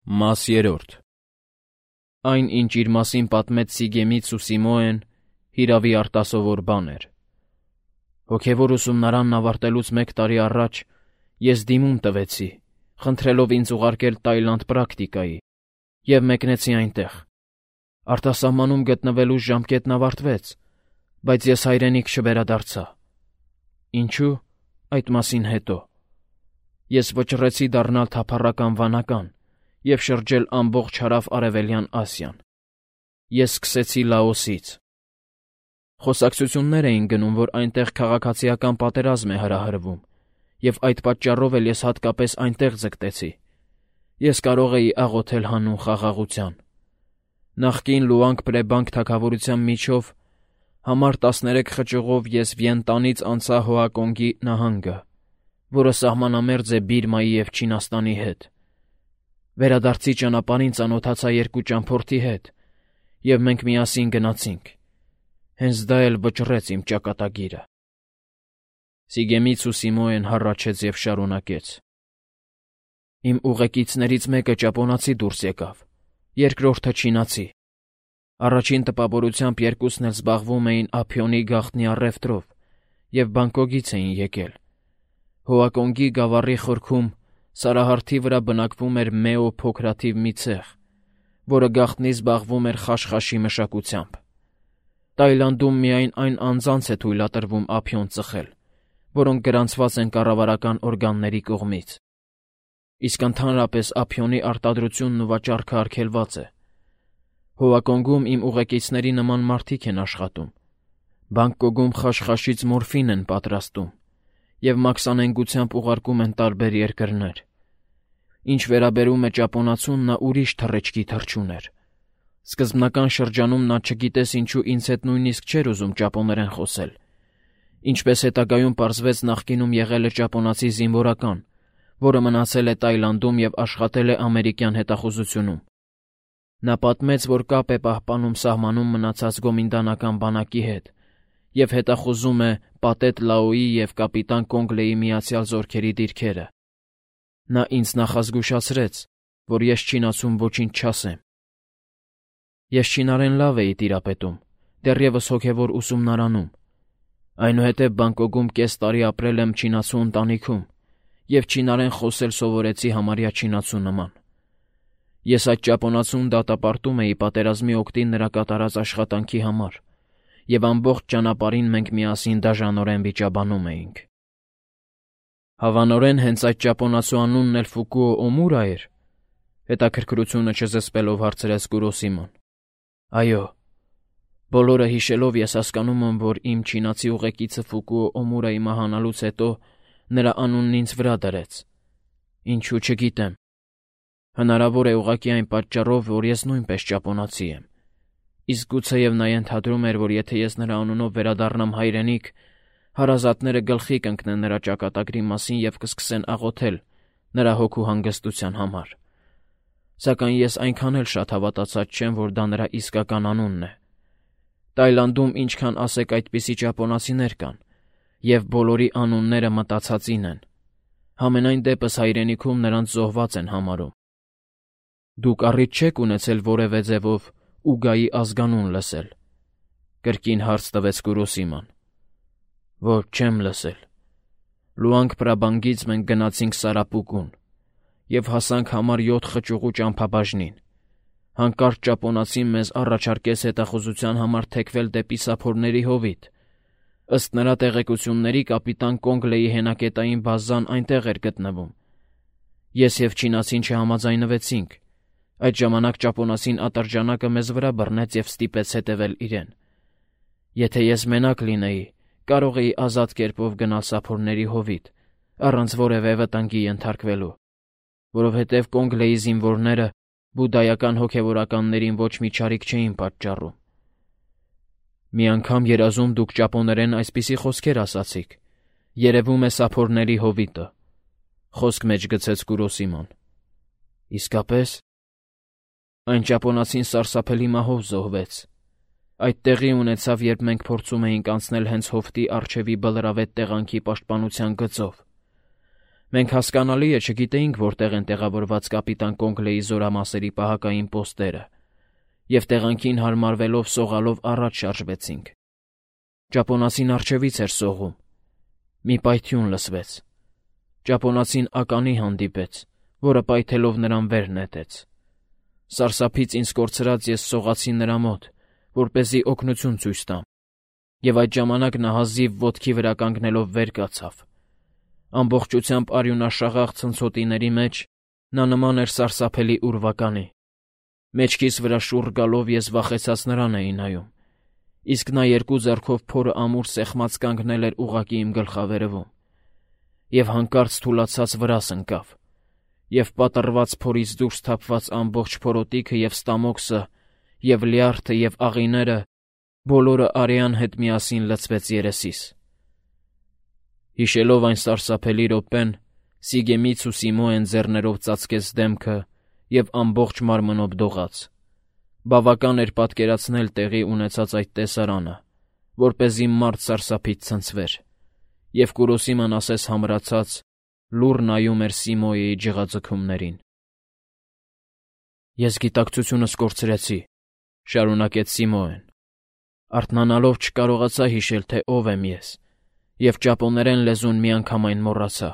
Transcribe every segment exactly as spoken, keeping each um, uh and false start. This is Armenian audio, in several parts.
Մաս երրորդ Այն, ինչ իր մասին պատմեց Սիգեմից ու Սիմոեն, հիրավի արտասովոր բան էր։ Հոգևոր ուսումնարանն ավարտելուց մեկ տարի առաջ ես դիմում տվեցի, խնդրելով ինձ ուղարկել Տայլանդ պրակտիկայի, և մեկնեցի այնտեղ։ Արտասահմանում գտնվելուս ժամկետն ավարտվեց, բայց ես հայրենիք չվերադարձա։ Ինչու՞, այդ մասին հետո։ Ես վճռեցի դառնալ թափառական վանական և շրջել ամբողջ հարավ Արևելյան Ասիան։ Ես սկսեցի Լաոսից։ Խոսակցություններ էին գնում, որ այնտեղ քաղաքացիական պատերազմ է հրահրվում, և այդ պատճառով էլ ես հատկապես այնտեղ ձգտեցի։ Ես կարող էի աղոթել հանուն խաղաղության։ Նախկին Լուանգ Պրեբանկ թագավորության միջով համար տասներեք խճուղով ես Վիենտանից անցա Հոակոնգի նահանգը, որը սահմանամերձ է Բիրմայի և Չինաստանի հետ։ Վերադարձի ճանապարհին ծանոթացա երկու ճամփորդի հետ, և մենք միասին գնացինք։ Հենց դա էլ վճռեց իմ ճակատագիրը։ Սիգեմից ու Սիմոեն հառաչեց և շարունակեց. Իմ ուղեկիցներից մեկը ճապոնացի դուրս եկավ, երկրորդը չինացի։ Առաջին տպավորությամբ երկուսն էլ զբաղվում էին ափիոնի գաղտնի առևտրով և Բանգկոկից էին եկել։ Հոակոնգի գավառի խորքում Սարահարթի վրա բնակվում էր Մեո փոքրաթիվ մի ցեղ, որը գաղտնի զբաղվում էր խաշխաշի մշակությամբ։ Տայլանդում միայն այն անձանց է թույլատրվում ափիոն ծխել, որոնք գրանցված են կառավարական օրգանների կողմից։ Իսկ ընդհանրապես ափիոնի արտադրությունն ու վաճառքը արգելված է։ Հոակոնգում իմ ուղեկիցների նման մարդիկ են աշխատում։ Բանգկոկում խաշխաշից մորֆին են պատրաստում և մաքսանենգությամբ ուղարկում են տարբեր երկրներ։ Ինչ վերաբերում է ճապոնացուն, նա ուրիշ թռիչքի թռչուն էր։ Սկզբնական շրջանում նա չգիտես ինչու ինձ հետ նույնիսկ չէր ուզում ճապոներեն խոսել։ Ինչպես հետագայում պարզվեց, նախկինում եղել է ճապոնացի զինվորական, որը մնացել է Տայլանդում և աշխատել է ամերիկյան հետախուզությունում։ Նա պատմեց, որ կապ է պահպանում սահմանում մնացած գոմինդանական բանակի հետ և հետախուզում է Պատետ Լաոյի և կապիտան Կոնգլեի միացյալ զորքերի դիրքերը։ Նա ինձ նախազգուշացրեց, որ ես չինացուն ոչինչ չասեմ։ Ես չինարեն լավ էի տիրապետում, դեռևս հոգևոր ուսումնարանում։ Այնուհետև Բանգկոկում կես տարի ապրել եմ չինացու ընտանիքում և չինարեն խոսել սովորեցի համարյա չինացու նման։ Ես այդ ճապոնացուն դատապարտում էի պատերազմի օգտին նրա կատարած աշխատանքի համար, և ամբողջ ճանապարհին մենք միասին դաժանորեն վիճաբանում էինք։ Հավանորեն հենց այդ ճապոնացու անունն էլ Ֆուկուո Օմուրա էր, հետաքրքրությունը չզսպելով հարցրեց Կուրոսիման։ Այո։ Բոլորը հիշելով ես հասկանում եմ, որ իմ չինացի ուղեկիցը Ֆուկուո Օմուրայի մահանալուց հետո նրա անունն ինձ վրա դրեց։ Ինչու չգիտեմ։ Հնարավոր է ուղղակի այն պատճառով, որ ես նույնպես ճապոնացի եմ։ Իսկ գուցեև նա ենթադրում էր, որ եթե ես նրա անունով վերադառնամ հայրենիք, հարազատները գլխի կընկնեն նրա ճակատագրի մասին և կսկսեն աղոթել նրա հոգու հանգստության համար։ Սակայն ես այնքան էլ շատ հավատացած չեմ, որ դա նրա իսկական անունն է։ Տայլանդում ինչքան ասեք այդպիսի ճապոնացիներ կան, և բոլորի անունները մտածածին են։ Համենայն դեպս հայրենիքում նրանց զոհված են համարում։ Դուք առիթ չեք ունեցել որևէ ձևով Ուգայի ազգանուն լսել, կրկին հարց տվեց Կուրոսիման։ Ոչ, չեմ լսել։ Լուանգ Պրաբանգից մենք գնացինք Սարապուկուն և հասանք համար յոթ խճուղու ճամփաբաժնին։ Հանկարծ ճապոնացին մեզ առաջարկեց հետախուզության համար թեքվել դեպի Սափորների հովիտ։ Ըստ նրա տեղեկությունների, կապիտան Կոնգլեի հենակետային բազան այնտեղ էր գտնվում։ Ես և չինացին չհամաձայնվեցինք։ Այդ ժամանակ ճապոնացին ատրճանակը մեզ վրա բռնեց և ստիպեց հետևել իրեն։ Եթե ես մենակ լինեի, կարող էի ազատ կերպով գնալ Սափորների հովիտ, առանց որևէ վտանգի ենթարկվելու, որովհետև Կոնգլեի զինվորները բուդդայական հոգևորականներին ոչ մի չարիք չէին պատճառում։ Մի անգամ երազում դուք ճապոներեն այսպիսի խոսքեր ասացիք. երևում է Սափորների հովիտը, խոսք մեջ գցեց Կուրոսիման։ Իսկապես։ Այն ճապոնացին սարսափելի մահով զոհվեց։ Այդ տեղի ունեցավ, երբ մենք փորձում էինք անցնել հենց հովտի առջևի բլրավետ տեղանքի պաշտպանության գծով։ Մենք հասկանալի է չգիտեինք, որտեղ են տեղավորված կապիտան Կոնգլեի զորամասերի պահակային պոստերը, և տեղանքին հարմարվելով սողալով առաջ շարժվեցինք։ Ճապոնացին առջևից էր սողում։ Մի պայթյուն լսվեց։ Ճապոնացին ականի հանդիպեց, որը պայթելով նրան վեր նետեց։ Սարսափից ինձ կորցրած ես սողացի նրա մոտ, որպեսզի օգնություն ցույց տամ, և այդ ժամանակ նա հազիվ ոտքի վրա կանգնելով վեր կացավ։ Ամբողջությամբ արյունաշաղախ ցնցոտիների մեջ նա նման էր սարսափելի ուրվականի։ Մեջքիս վրա շուռ գալով ես վախեցած նրան էի նայում, իսկ նա երկու ձեռքով փորը ամուր սեղմած կանգնել էր ուղղակի իմ գլխավերևում, և հանկարծ թուլացած վրաս ընկավ, և պատռված փորից դուրս թափված ամբողջ փորոտիքը և ստամոքսը, և լյարդը և աղիները բոլորը արյան հետ միասին լցվեց երեսիս։ Հիշելով այն սարսափելի րոպեն, Սիգեմից ու Սիմոեն ձեռներով ծածկեց դեմքը և ամբողջ մարմնով դողաց։ Բավական էր պատկերացնել տեղի ունեցած այդ տեսարանը, որպեսզի մարդ սարսափից ցնցվեր, և Կուրոսիման ասես համրացած լուռ նայում էր Սիմոյի ջղաձգումներին։ «Ես գիտակցությունս կորցրեցի», ֊ շարունակեց Սիմոեն։ «Արթնանալով չկարողացա հիշել, թե ով եմ ես, և ճապոներեն լեզուն միանգամայն մոռացա։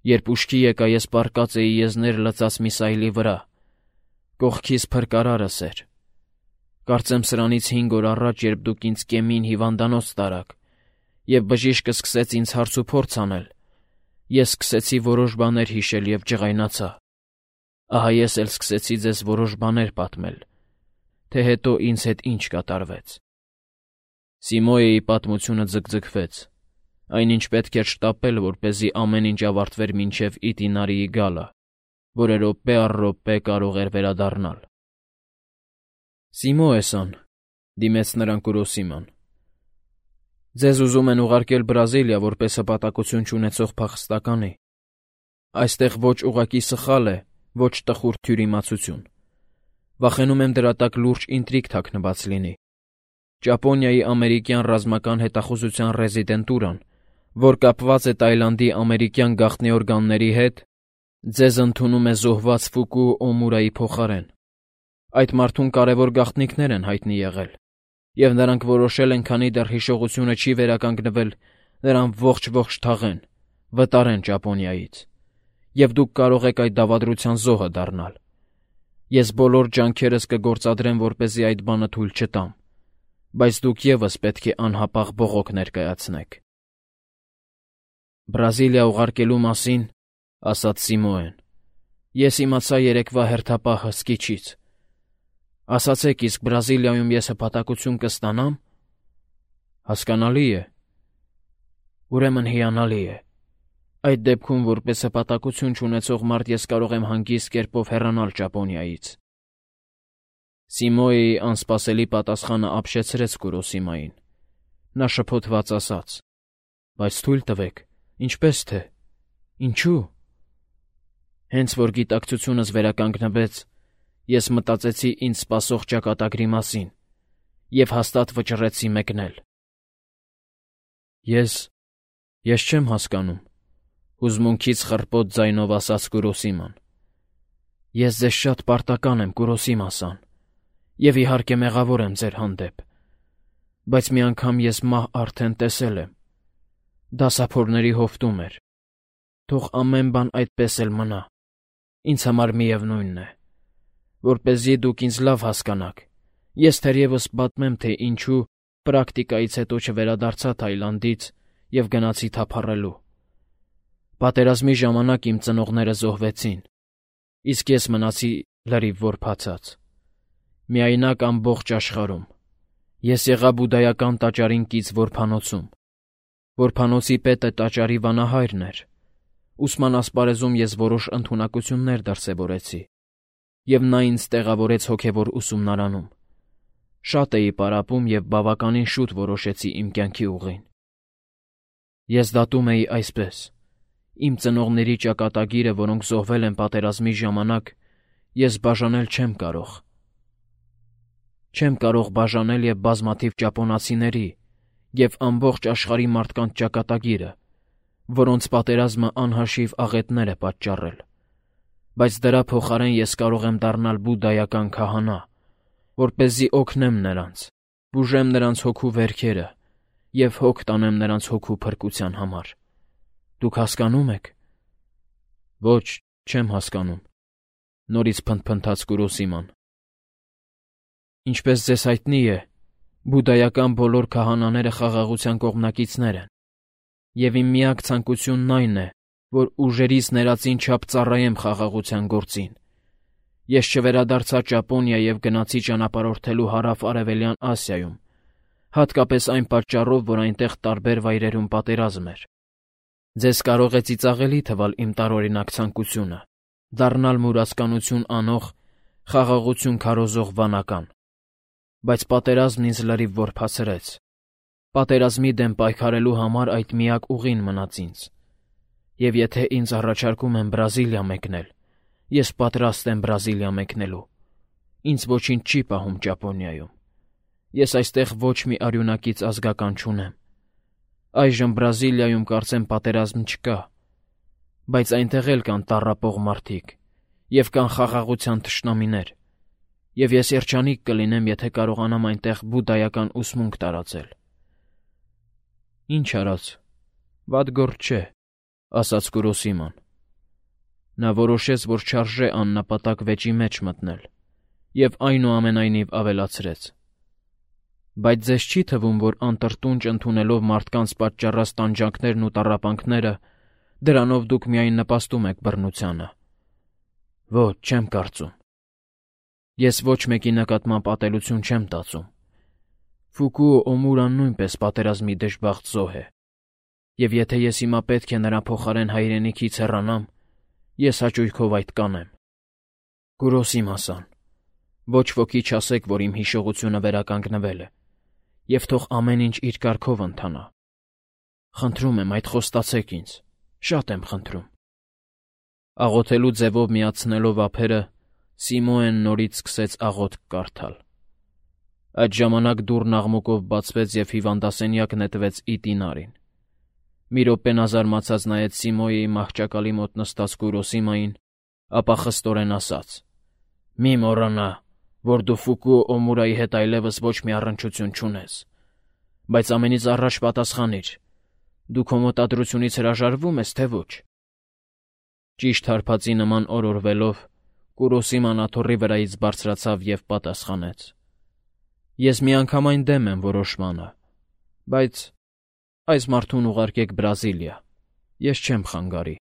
Երբ ուշքի եկա, ես պառկած էի եզներ լցած մի սայլի վրա, կողքիս փրկարարս էր։ Կարծեմ սրանից հինգ օր առաջ, երբ դուք ինձ կեմին հիվանդանոց տարաք, և բժիշկը սկսեց ինձ հարց ու փորձ անել, ես սկսեցի որոշ բաներ հիշել և ջղայնացա։ Ահա ես էլ սկսեցի ձեզ որոշ բաներ պատմել, թե հետո ինձ հետ ինչ կատարվեց»։ Սիմոյի պատմությունը ձգձգվեց։ Այնինչ պետք էր շտապել, որպեսզի ամեն ինչ ավարտվեր մինչև Իտինարիի գալը, որը րոպե առ րոպե կարող էր վերադառնալ։ «Սիմոե-սան», դիմեց նրան Կուրոսիման, «ձեզ ուզում են ուղարկել Բրազիլիա որպես հպատակություն չունեցող փախստականի։ Այստեղ ոչ ուղղակի սխալ է, ոչ տխուր թյուրիմացություն։ Վախենում եմ դրա տակ լուրջ ինտրիգ թաքնված լինի։ Ճապոնիայի ամերիկյան ռազմական հետախուզության ռեզիդենտուրան, որ կապված է Տայլանդի ամերիկյան գաղտնի օրգանների հետ, ձեզ ընդունում է զոհված Ֆուկու Օմուրայի փոխարեն։ Այդ մարդուն կարևոր գաղտնիքներ են հայտնի եղել, և նրանք որոշել են, քանի դեռ հիշողությունը չի վերականգնվել, նրան ողջ-ողջ թաղեն, վտարեն Ճապոնիայից, և դուք կարող եք այդ դավադրության զոհը դառնալ։ Ես բոլոր ջանքերս կգործադրեմ, որպեսզի այդ բանը թույլ չտամ, բայց դուք ևս պետք է անհապաղ բողոք ներկայացնեք»։ «Բրազիլիա ուղարկելու մասին, ֊ ասաց Սիմոեն, ֊ ես իմացա երեկվա հերթապահ հսկիչից։ Ասացեք, իսկ Բրազիլիայում ես հպատակություն կստանա՞մ»։ «Հասկանալի է»։ «Ուրեմն հիանալի է։ Այդ դեպքում, որպես հպատակություն չունեցող մարդ, ես կարող եմ հանգիստ կերպով հեռանալ Ճապոնիայից»։ Սիմոյի անսպասելի պատասխանը ապշեցրեց Կուրոսիմային։ Նա շփոթված ասաց. «Բայց թույլ տվեք, ինչպե՞ս թե, ինչու՞։ Հենց որ գիտակցությունս վերականգնվեց, ես մտածեցի ինձ սպասող ճակատագրի մասին և հաստատ վճռեցի մեկնել»։ Ես… ես չեմ հասկանում, ֊ հուզմունքից խռպոտ ձայնով ասաց Կուրոսիման։ «Ես ձեզ շատ պարտական եմ, Կուրոսիմա-սան, և իհարկե մեղավոր եմ ձեր հանդեպ, բայց մի անգամ ես մահ արդեն տեսել եմ։ Դասափորների հովտում էր։ Թող ամեն բան այդպես էլ մնա, ինձ համար միևնույնն է։ Որպեսզի դուք ինձ լավ հասկանաք, ես թերևս պատմեմ, թե ինչու պրակտիկայից հետո չվերադարձա Թայլանդից և գնացի թափառելու։ Պատերազմի ժամանակ իմ ծնողները զոհվեցին, իսկ ես մնացի լրիվ որբացած, միայնակ ամբողջ աշխարհում։ Ես եղա բուդդայական տաճարին կից որբանոցում։ Որբանոցի պետը տաճարի վանահայրն էր։ Ուսման ասպարեզում ես որոշ ընդունակություններ դրսևորեցի, և նա ինձ տեղավորեց հոգևոր ուսումնարանում։ Շատ էի պարապում և բավականին շուտ որոշեցի իմ կյանքի ուղին։ Ես դատում էի այսպես. իմ ծնողների ճակատագիրը, որոնք զոհվել են պատերազմի ժամանակ, ես բաժանել չեմ կարող։ Չեմ կարող բաժանել և բազմաթիվ ճապոնացիների և ամբողջ աշխարհի մարդկանց ճակատագիրը, որոնց պատերազմը անհաշիվ աղետներ է պատճառել, բայց դրա փոխարեն ես կարող եմ դառնալ բուդդայական քահանա, որպեսզի օգնեմ նրանց, բուժեմ նրանց հոգու վերքերը և հոգ տանեմ նրանց հոգու փրկության համար։ Դուք հասկանո՞ւմ եք։ Ոչ, չեմ հասկանում, նորից փնթփնթաց Կուրոսիման։ Ինչպես ձեզ հայտնի է, բուդդայական բոլոր քահանաները խաղաղության կողմնակիցներ են, և իմ միակ ցանկությունն այն է, որ ուժերից ներածին չափ ծառայեմ խաղաղության գործին։ Ես չվերադարձա Ճապոնիա և գնացի ճանապարհորդելու հարավ-արևելյան Ասիայում, հատկապես այն պատճառով, որ այնտեղ տարբեր վայրերում պատերազմ էր։ Ձեզ կարող է ծիծաղելի թվալ իմ տարօրինակ ցանկությունը՝ դառնալ մուրացկանություն անող, խաղաղություն քարոզող վանական։ Բայց պատերազմն ինձ լրիվ որփացրեց։ Պատերազմի դեմ պայքարելու համար այդ միակ ուղին մնաց ինձ։ Եվ եթե ինձ առաջարկում են Բրազիլիա մեկնել, ես պատրաստ եմ Բրազիլիա մեկնելու։ Ինձ ոչինչ չի պահում Ճապոնիայում։ Ես այստեղ ոչ մի արյունակից ազգական չունեմ։ Այժմ Բրազիլիայում կարծեմ պատերազմ չկա, բայց այնտեղ էլ կան տառապող մարդիկ և կան խաղաղության թշնամիներ, և ես երջանիկ կլինեմ, եթե կարողանամ այնտեղ բուդդայական ուսմունք տարածել։ Ինչ արած, վատ գործ չէ, ասաց Կուրոսիման։ Նա որոշեց, որ չարժե աննպատակ վեճի մեջ մտնել, և այնուամենայնիվ ավելացրեց. Բայց ձեզ չի թվում, որ անտրտունջ ընդունելով մարդկանց պատճառած տանջանքներն ու տառապանքները, դրանով դուք միայն նպաստում եք բռնությանը։ Ոչ, չեմ կարծում։ Ես ոչ մեկի նկատմամբ ատելություն չեմ տածում։ Ֆուկուո Օմուրան նույնպես պատերազմի դժբախտ զոհ է, և եթե ես հիմա պետք է նրա փոխարեն հայրենիքից հեռանամ, ես հաճույքով այդ կանեմ։ Կուրոսիմա-սան, ոչ ոքի չասեք, որ իմ հիշողությունը վերականգնվել է, և թող ամեն ինչ իր կարգով ընթանա։ Խնդրում եմ, այդ խոստացեք ինձ, շատ եմ խնդրում։ Աղոթելու ձևով միացնելով ափերը, Սիմոեն նորից սկսեց աղոթք կարդալ։ Այդ ժամանակ դուռն աղմուկով բացվեց և հիվանդասենյակ նետվեց ի տինարին։ Մի րոպե նա զարմացած նայեց Սիմոյի մահճակալի մոտ նստած Կուրոսիմային, ապա խստորեն ասաց. «Մի մոռանա, որ դու Ֆուկուո Օմուրայի հետ այլևս ոչ մի առնչություն չունես, բայց ամենից առաջ պատասխանիր. դու քո մտադրությունից հրաժարվո՞ւմ ես, թե ոչ»։ Ճիշտ հարբածի նման օրորվելով, Կուրոսիման աթոռի վրայից բարձրացավ և պատասխանեց. «Ես միանգամայն դեմ եմ որոշմանը, բայց այս մարդուն ուղարկեք Բրազիլիա, ես չեմ խանգարի»։